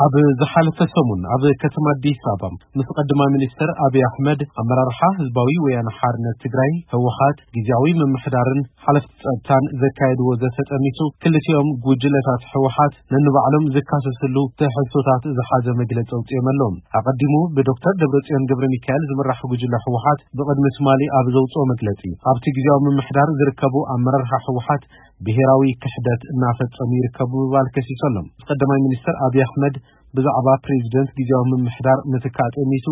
ኣብ ዝሓለፈ ሰሙን ኣብ ከተማ ኣዲስ ኣበባ ምስ ቀዳማይ ሚኒስትር ኣብይ ኣሕመድ፣ ኣመራርሓ ህዝባዊ ወያነ ሓርነት ትግራይ ህወሓት፣ ግዝያዊ ምምሕዳርን ሓለፍቲ ጸጥታን ዘካየድዎ ዘተ ጠሚቱ፣ ክልቲኦም ጉጅለታት ህወሓት ነንባዕሎም ዝካሰስሉ ትሕዝቶታት ዝሓዘ መግለጺ ኣውጺኦም ኣለዉ። ኣቐዲሙ ብዶክተር ደብረጽዮን ገብረ ሚካኤል ዝምራሕ ጉጅለ ህወሓት ብቕድሚ ትማሊ ኣብ ዘውጽኦ መግለጺ፣ ኣብቲ ግዝያዊ ምምሕዳር ዝርከቡ ኣመራርሓ ህወሓት ብሄራዊ ክሕደት እናፈጸሙ ይርከቡ ብምባል ከሲሱ ኣሎ። ቀዳማይ ሚኒስትር ኣብይ ኣሕመድ ብዛዕባ ፕሬዚደንት ግዝያዊ ምምሕዳር ምትካእ ጠሚቱ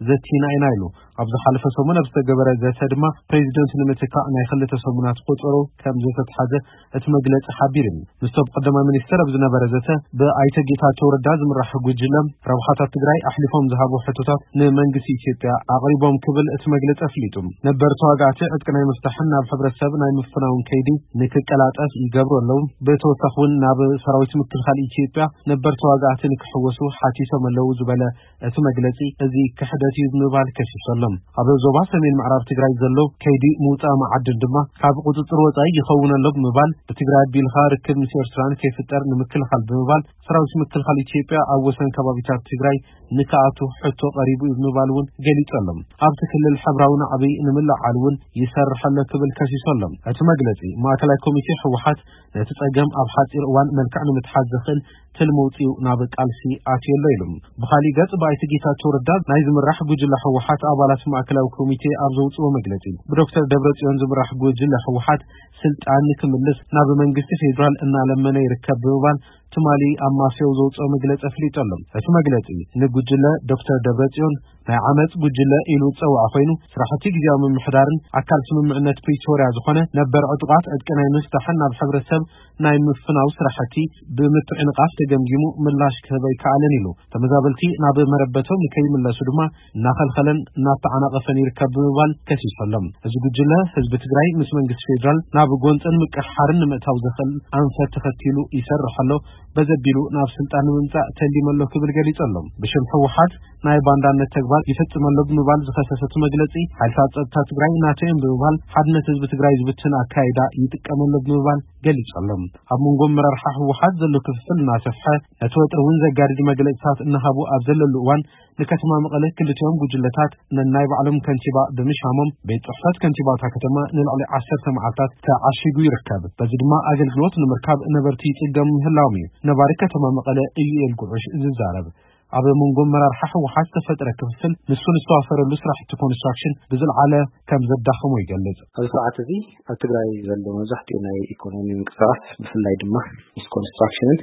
ዘቲና ኢና ኢሉ። ኣብ ዝሓለፈ ሰሙን ኣብ ዝተገበረ ዘተ ድማ ፕሬዚደንት ንምትካእ ናይ ክልተ ሰሙናት ቆጸሮ ከም ዝተትሓዘ እቲ መግለጺ ሓቢሩ። ምስቶም ቀዳማይ ሚኒስትር ኣብ ዝነበረ ዘተ ብኣይተ ጌታቸው ረዳ ዝምራሕ ጉጅለ ረብሓታት ትግራይ ኣሕሊፎም ዝሃቡ ሕቶታት ንመንግስቲ ኢትዮጵያ ኣቕሪቦም ክብል እቲ መግለጺ ኣፍሊጡ። ነበር ተዋጋእቲ ዕጥቂ ናይ ምፍታሕን ናብ ሕብረተሰብ ናይ ምፍናውን ከይዲ ንክቀላጠፍ ይገብሩ ኣለዉ። ብተወሳኺ እውን ናብ ሰራዊት ምክልኻል ኢትዮጵያ ነበር ተዋጋእቲ ንክሕወሱ ሓቲቶም ኣለዉ ዝበለ እቲ መግለጺ፣ እዚ ክሕደት እዩ ብምባል ከሲሱ ኣሎ። ኣብ ዞባ ሰሜን ምዕራብ ትግራይ ዘሎ ከይዲ ምውጻእ መዓድን ድማ ካብ ቁጽጽር ወጻኢ ይኸውን ኣሎ ብምባል፣ ብትግራይ ኣቢልካ ርክብ ምስ ኤርትራ ንከይፍጠር ንምክልኻል ብምባል፣ ሰራዊት ምክልኻል ኢትዮጵያ ኣብ ወሰን ከባቢታት ትግራይ ንክኣቱ ሕቶ ቀሪቡ እዩ ብምባል እውን ገሊጹ ኣሎ። ኣብቲ ክልል ሕብራዊ ናዕቢ ንምልዓል እውን ይሰርሕ ኣሎ ክብል ከሲሱ ኣሎ። እቲ መግለጺ፣ ማእከላይ ኮሚቴ ህወሓት ነቲ ጸገም ኣብ ሓጺር እዋን መልክዕ ንምትሓዝ ዘኽእል ትልሚ ኣውጺኡ ናብ ቃልሲ ኣትዩ ኣሎ ኢሉ። ብኻሊእ ገጽ፣ ብኣይተ ጌታቸው ረዳ ናይ ዝምራሕ ጉጅለ ህወሓት ኣባላት ማእከላዊ ኮሚቴ ኣብ ዘውጽኦ መግለጺ፣ ብዶክተር ደብረጽዮን ዝምራሕ ጉጅለ ህወሓት ስልጣን ንክምልስ ናብ መንግስቲ ፌዴራል እናለመነ ይርከብ ብምባል ትማሊ ኣብ ማስዮ ዘውጽኦ መግለጺ ኣፍሊጡ ኣሎ። እቲ መግለጺ፣ ንጉጅለ ዶክተር ደብረጽዮን ናይ ዓመጽ ጉጅለ ኢሉ ዝጸውዐ ኮይኑ፣ ስራሕቲ ግዝያዊ ምምሕዳርን ኣካል ስምምዕነት ፕሪቶርያ ዝኾነ ነበር ዕጡቓት ዕጥቂ ናይ ምፍታሕን ናብ ሕብረተሰብ ናይ ምፍናው ስራሕቲ ብምትዕንቓፍ ተገምጊሙ ምላሽ ክህብ ኣይከኣለን ኢሉ። ተመዛበልቲ ናብ መረበቶም ንከይምለሱ ድማ እናኸልኸለን እናተዓናቐፈን ይርከብ ብምባል ከሲሱ ኣሎ። እዚ ጉጅለ ህዝቢ ትግራይ ምስ መንግስቲ ፌዴራል ናብ ጎንፅን ምቅሕሓርን ንምእታው ዘኽእል ኣንፈት ተኸቲሉ ይሰርሕ ኣሎ፣ በዘቢሉ ናብ ስልጣን ንምምፃእ ተሊሙ ኣሎ ክብል ገሊጹ ኣሎ። ብሽም ህወሓት ናይ ባንዳነት ተግባር ይፍጽም ኣሎ ብምባል ዝኸሰሰ እቲ መግለጺ፣ ሓይልታት ጸጥታ ትግራይ ናቶ እዮም ብምባል ሓድነት ህዝቢ ትግራይ ዝብትን ኣካይዳ ይጥቀም ኣሎ ብምባል ገሊጹ ኣሎ። ኣብ መንጎ ኣመራርሓ ህወሓት ዘሎ ክፍፍል እናሰፍሐ፣ ነቲ ወጥሪ እውን ዘጋድድ መግለጺታት እናሃቡ ኣብ ዘለሉ እዋን፣ ንከተማ መቐለ ክልቲኦም ጉጅለታት ነናይ ባዕሎም ከንቲባ ብምሻሞም፣ ቤት ጽሕፈት ከንቲባታ ከተማ ንልዕሊ ዓሰርተ መዓልታት ተዓሺጉ ይርከብ። በዚ ድማ ኣገልግሎት ንምርካብ ነበርቲ ይጽገሙ ምህላዎም እዩ ነባሪ ከተማ መቐለ ኢዩኤል ጉዑሽ ዝዛረብ። ኣብ መንጎ ኣመራርሓ ህወሓት ዝተፈጥረ ክፍፍል፣ ንሱ ንዝተዋፈረሉ ስራሕቲ ኮንስትራክሽን ብዝለዓለ ከም ዘዳኸሞ ይገልጽ። ኣብዚ ሰዓት እዚ ኣብ ትግራይ ዘሎ መብዛሕትኡ ናይ ኢኮኖሚ ምንቅስቃስ፣ ብፍላይ ድማ ምስ ኮንስትራክሽንን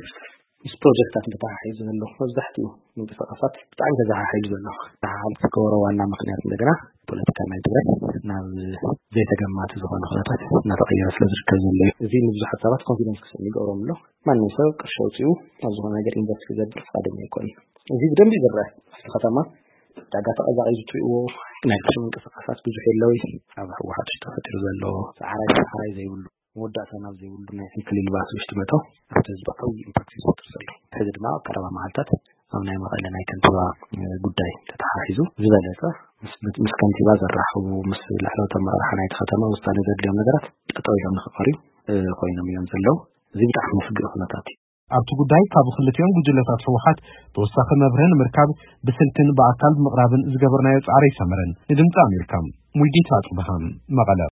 ምስ ፕሮጀክታት ተተሓሒዙ ዘሎ መብዛሕትኡ ምንቅስቃሳት ብጣዕሚ ተዘሓሒሉ ዘሎ። ተሓሓል ዝገበሮ ዋና ምክንያት እንደገና ፖለቲካ ናይ ትግራይ ናብ ዘይተገማቲ ዝኾነ ኩነታት እናተቐየረ ስለ ዝርከብ ዘሎ እዩ። እዚ ንብዙሓት ሰባት ኮንፊደንስ ክስዕም ይገብሮም ኣሎ። ማንም ሰብ ቅርሺ ኣውፂኡ ኣብ ዝኾነ ነገር ኢንቨስት ክገብር ፍቃደኛ ኣይኮነን። እዚ ብደንቢ ይዝረአ። ኣብቲ ከተማ ዕዳጋ ተቐዛቒዙ ትሪእዎ፣ ናይ ቅርሺ ምንቅስቃሳት ብዙሕ የለውይ። ኣብ ህወሓት ውሽጢ ተፈጢሩ ዘሎ ሰዓራይ ሰዓራይ ዘይብሉ፣ መወዳእታ ናብ ዘይብሉ ናይ ዕንክሊል ባስ ውሽጢ መእተው ኣብቲ ህዝቢ ዓብዪ ኢምፓክት እዩ ዝፈጥር ዘሎ። ሕዚ ድማ ኣብ ቀረባ መዓልታት ኣብ ናይ መቐለ ናይ ከንቲባ፣ እ፣ ጉዳይ ተተሓሒዙ ዝበለጸ ምስ፣ ምስ ከንቲባ ዘራኽቡ፣ ምስ ላዕለዎት ኣመራርሓ ናይቲ ከተማ ውሳነ ዘድልዮም ነገራት ጠጠው ኢሎም ንክቐርዩ፣ እ፣ ኮይኖም እዮም ዘለዉ። እዚ ብጣዕሚ መስግእ ኩነታት እዩ። ኣብቲ ጉዳይ ካብ ክልቲኦም ጉጅለታት ህወሓት ተወሳኺ መብርሂ ንምርካብ ብስልክን ብኣካል ብምቕራብን ዝገበርናዮ ጻዕሪ ኣይሰመረን። ንድምፂ ኣሜሪካ፣ ሙልጌታ ጽብሃ፣ መቐለ።